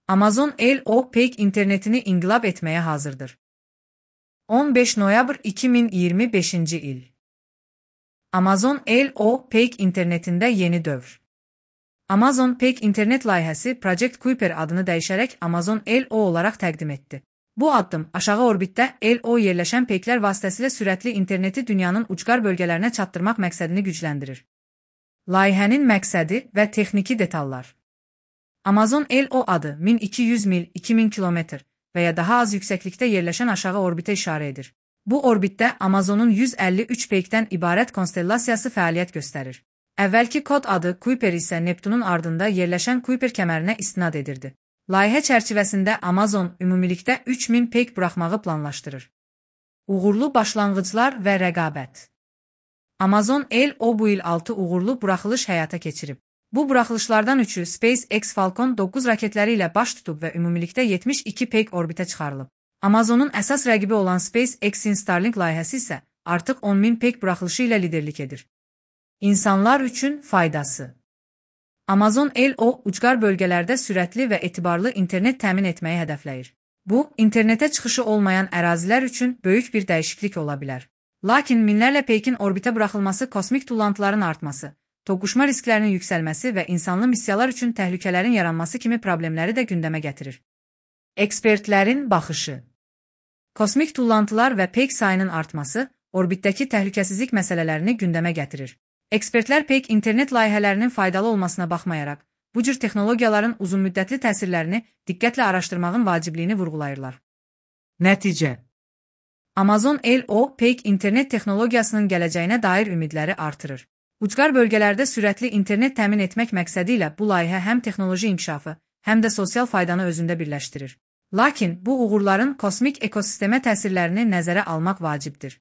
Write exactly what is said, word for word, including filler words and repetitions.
Amazon L O Peak internetini inqilab etməyə hazırdır. on beş noyabr iki min iyirmi beşinci il. Amazon L O Peak internetində yeni dövr. Amazon Peak internet layihəsi Project Kuiper adını dəyişərək Amazon L O olaraq təqdim etdi. Bu addım aşağı orbitdə L O yerləşən peyklər vasitəsilə sürətli interneti dünyanın ucqar bölgələrinə çatdırmaq məqsədini gücləndirir. Layihənin məqsədi və texniki detallar. Amazon L O adı min iki yüz mil iki min kilometr və ya daha az yüksəklikdə yerləşən aşağı orbitə işarə edir. Bu orbitdə Amazonun yüz əlli üç peykdən ibarət konstellasiyası fəaliyyət göstərir. Əvvəlki kod adı Kuiper isə Neptunun ardında yerləşən Kuiper kəmərinə istinad edirdi. Layihə çərçivəsində Amazon ümumilikdə üç min peyk buraxmağı planlaşdırır. Uğurlu başlanğıclar və rəqabət. Amazon L O bu il altı uğurlu buraxılış həyata keçirib. Bu buraxılışlardan üçü SpaceX Falcon doqquz raketləri ilə baş tutub və ümumilikdə yetmiş iki peyk orbitə çıxarılıb. Amazonun əsas rəqibi olan SpaceX-in Starlink layihəsi isə artıq on min peyk buraxılışı ilə liderlik edir. İnsanlar üçün faydası. Amazon L O ucqar bölgələrdə sürətli və etibarlı internet təmin etməyi hədəfləyir. Bu, internetə çıxışı olmayan ərazilər üçün böyük bir dəyişiklik ola bilər. Lakin minlərlə peykin orbitə buraxılması kosmik tullantıların artması, toqquşma risklərinin yüksəlməsi və insanlı missiyalar üçün təhlükələrin yaranması kimi problemləri də gündəmə gətirir. Ekspertlərin baxışı. Kosmik tullantılar və peyk sayının artması, orbitdəki təhlükəsizlik məsələlərini gündəmə gətirir. Ekspertlər peyk internet layihələrinin faydalı olmasına baxmayaraq, bu cür texnologiyaların uzunmüddətli təsirlərini diqqətlə araşdırmağın vacibliyini vurğulayırlar. Nəticə. Amazon L O peyk internet texnologiyasının gələcəyinə dair ümidləri artırır. Ucqar bölgələrdə sürətli internet təmin etmək məqsədi ilə bu layihə həm texnoloji inkişafı, həm də sosial faydanı özündə birləşdirir. Lakin bu uğurların kosmik ekosistemə təsirlərini nəzərə almaq vacibdir.